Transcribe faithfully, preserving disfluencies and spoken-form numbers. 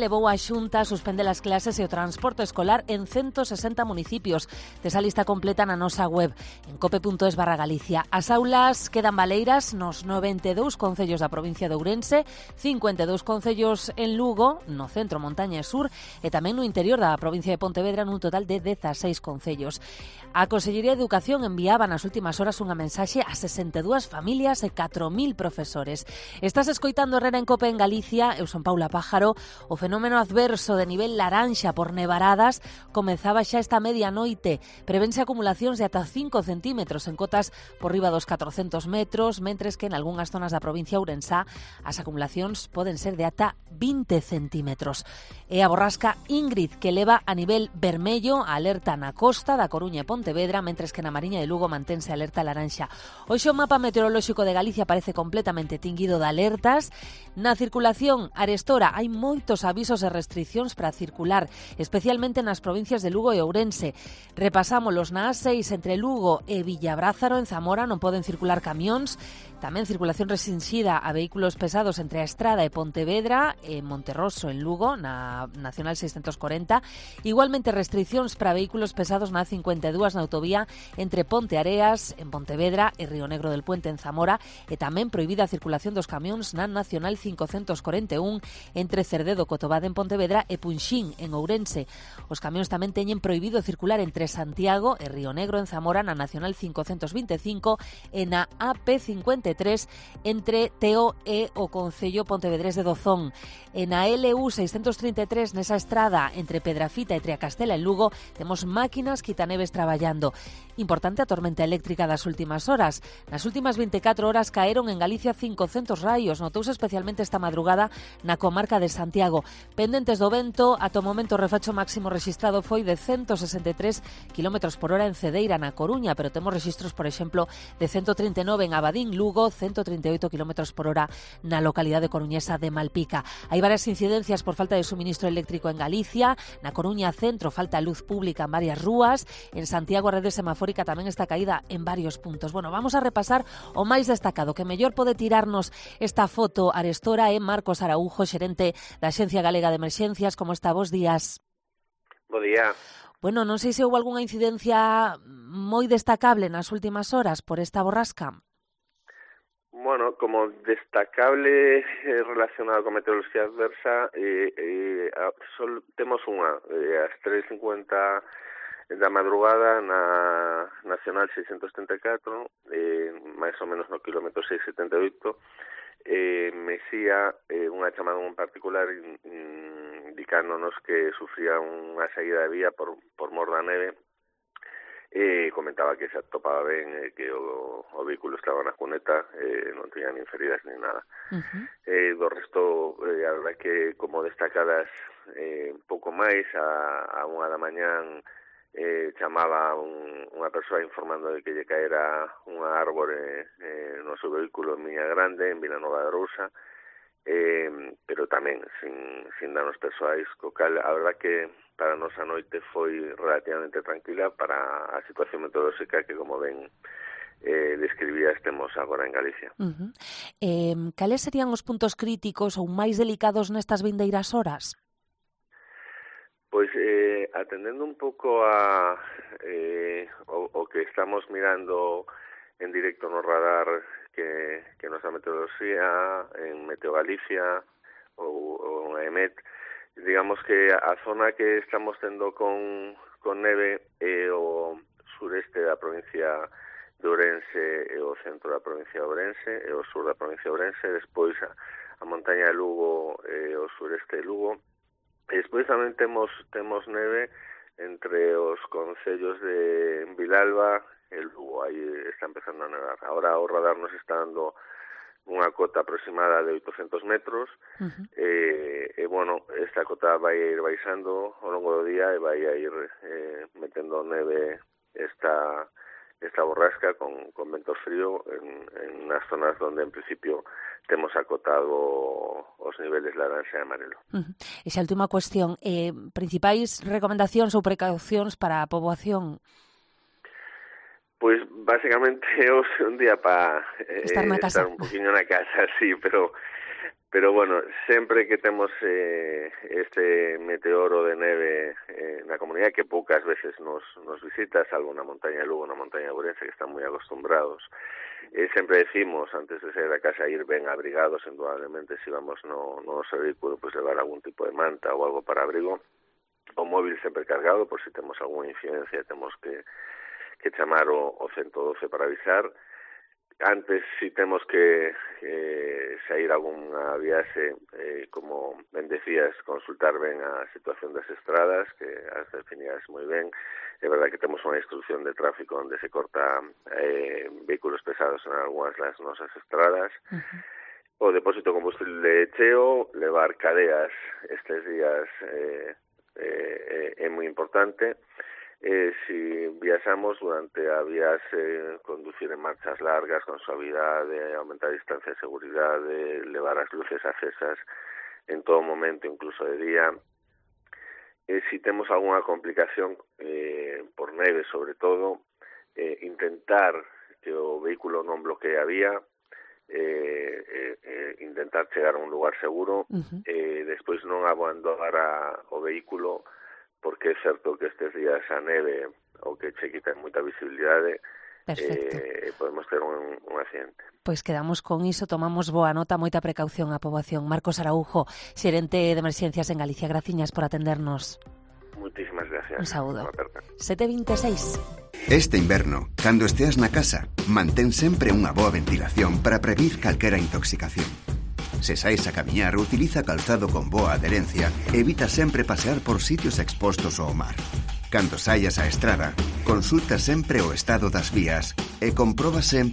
Levou a Xunta suspende as clases e o transporte escolar en ciento sesenta municipios. Tes a lista completa na nosa web en cope punto es barra Galicia. As aulas quedan baleiras nos noventa e dous concellos da provincia de Ourense, cincuenta e dous concellos en Lugo, no centro, montaña e sur, e tamén no interior da provincia de Pontevedra nun total de dezaseis concellos. A Consellería de Educación enviaba nas últimas horas unha mensaxe a sesenta e dúas familias e catro mil profesores. Estás escoitando Herrera en Cope en Galicia, eu son Paula Pájaro. O fenómeno adverso de nivel laranxa por nevaradas comezaba xa esta medianoite. Prevense acumulacións de ata cinco centímetros en cotas por riba dos catrocentos metros, mentres que en algunhas zonas da provincia ourensá as acumulacións poden ser de ata vinte centímetros. E a borrasca Ingrid, que leva a nivel vermello a alerta na costa da Coruña e Pontevedra, mentres que na Mariña de Lugo mantense alerta laranxa. Hoxe o mapa meteorolóxico de Galicia parece completamente tinguido de alertas. Na circulación arestora hai moitos avisos e restriccións para circular, especialmente nas provincias de Lugo e Ourense. Repasámolos na A seis entre Lugo e Villabrázaro, en Zamora non poden circular camións. Tamén circulación restringida a vehículos pesados entre a Estrada e Pontevedra, e Monterroso en Lugo, na Nacional seiscentos corenta. Igualmente restriccións para vehículos pesados na cincuenta e dúas na autovía entre Ponte Areas en Pontevedra e Río Negro del Puente en Zamora, e tamén prohibida a circulación dos camións na Nacional cincocentos corenta e un entre Cerdedo, Cotobade en Pontevedra e Punxín en Ourense. Os camións tamén teñen prohibido circular entre Santiago e Río Negro en Zamora na Nacional cincocentos vinte e cinco e na A P cincuenta e tres entre Teo e o Concello Pontevedrés de Dozón. E na L U seiscentos trinta e tres nesa estrada entre Pedrafita e Triacastela en Lugo temos máquinas quitaneves traballando. Importante a tormenta eléctrica das últimas horas. Nas últimas veinticuatro horas caeron en Galicia cincocentos raios, notouse especialmente esta madrugada na comarca de Santiago. Pendentes do vento, ata o momento o refacho máximo rexistrado foi de ciento sesenta e tres kilómetros por hora en Cedeira, na Coruña, pero temos rexistros, por exemplo, de ciento trinta e nove en Abadín, Lugo, ciento trinta e oito kilómetros por hora na localidade coruñesa de Malpica. Hai varias incidencias por falta de suministro eléctrico en Galicia. Na Coruña centro falta luz pública en varias rúas. En Santiago a rede semafórica tamén está caída en varios puntos. Bueno, vamos a repasar o máis destacado. Que mellor pode tirarnos esta foto arestora é Marcos Araujo, xerente da Axencia Galega de Emerxencias. Como está? Bos días. Bo día. Bueno, non sei se houve algunha incidencia moi destacable nas últimas horas por esta borrasca. Bueno, como destacable eh, relacionado con meteorología adversa, eh, eh, sol, temos unha, eh, ás tres e cincuenta da madrugada na Nacional seiscentos setenta e catro, eh, máis ou menos no kilómetro seiscentos setenta e oito, eh, Mesía, eh, unha chamada en particular in, indicándonos que sufría unha saída de vía por, por mor da neve. E comentaba que se atopaba ben, eh, que o, o vehículo estaba na cuneta, eh, non tiña nin feridas nin nada. Uh-huh. Eh, do resto, eh, a verdade que como destacadas eh, un pouco máis, a, a unha da mañán eh, chamaba un, unha persoa informando de que lle caera unha árbore eh, no seu vehículo en Miña Grande, en Vilanova de Arousa, eh, pero tamén sin, sin danos persoais, co cal a verdade que para a nosa noite foi relativamente tranquila para a situación meteorolóxica que, como ben eh, describía, estemos agora en Galicia. Uh-huh. Eh, cales serían os puntos críticos ou máis delicados nestas vindeiras horas? Pois, eh, atendendo un pouco a eh, o, o que estamos mirando en directo no radar que, que nos da meteoroloxía, en Meteo Galicia ou, ou en E M E T, digamos que a zona que estamos tendo con, con neve é o sureste da provincia de Ourense e o centro da provincia de Ourense e o sur da provincia de Ourense, despois a, a montaña de Lugo e o sureste de Lugo. E despois tamén temos, temos neve entre os concellos de Vilalba e Lugo, aí está empezando a nevar. Ahora o radar nos está dando unha cota aproximada de oitocentos metros, uh-huh. e, e, bueno, esta cota vai ir baixando ao longo do día e vai a ir eh, metendo neve esta, esta borrasca con, con vento frío en, en nas zonas onde en principio temos acotado os niveles laranxa e amarelo. Uh-huh. Esa última cuestión, eh, principais recomendacións ou precaucións para a poboación? Pois, basicamente, é un día para eh, estar, na casa. estar un poquinho na casa, sí, pero Pero, bueno, sempre que temos eh, este meteoro de neve eh, na comunidade, que poucas veces nos, nos visita, salvo na montaña de Lugo, na montaña de Ourense, que están moi acostumbrados, eh, sempre decimos, antes de sair da casa, ir ben abrigados, indudablemente, se vamos no, no noso vehículo, pues levar algún tipo de manta ou algo para abrigo, o móvil sempre cargado, por si temos algunha incidencia, temos que, que chamar o, o ciento doce para avisar. Antes, si temos que eh, sair algunha viaxe, eh, como ben decías, consultar ben a situación das estradas, que as definidas moi ben. É verdade que temos unha instrucción de tráfico onde se corta eh, vehículos pesados en algunhas das nosas estradas. Uh-huh. O depósito de combustible cheo, levar cadeas estes días eh, eh, é moi importante. Eh, si viaxamos durante a viaxe, conducir en marchas largas, con suavidade, aumentar a distancia de seguridade, levar as luces acesas en todo momento, incluso de día. Eh, si temos algunha complicación eh, por neve, sobre todo, eh, intentar que o vehículo non bloquee a vía, eh, eh, eh, intentar chegar a un lugar seguro, uh-huh. eh, despois non abandonar a, o vehículo, porque é certo que estes días a neve o que che quita moita visibilidade, eh, podemos ter un, un accidente. Pois quedamos con iso, tomamos boa nota, moita precaución á poboación. Marcos Araujo, xerente de emerxencias en Galicia, graciñas por atendernos. Muchísimas gracias. Un saúdo. sete vinte e seis. Este inverno, cando esteas na casa, mantén sempre unha boa ventilación para prevenir calquera intoxicación. Se saes a camiñar, utiliza calzado con boa adherencia e evita sempre pasear por sitios expostos ao mar. Cando saias á estrada, consulta sempre o estado das vías e comproba sempre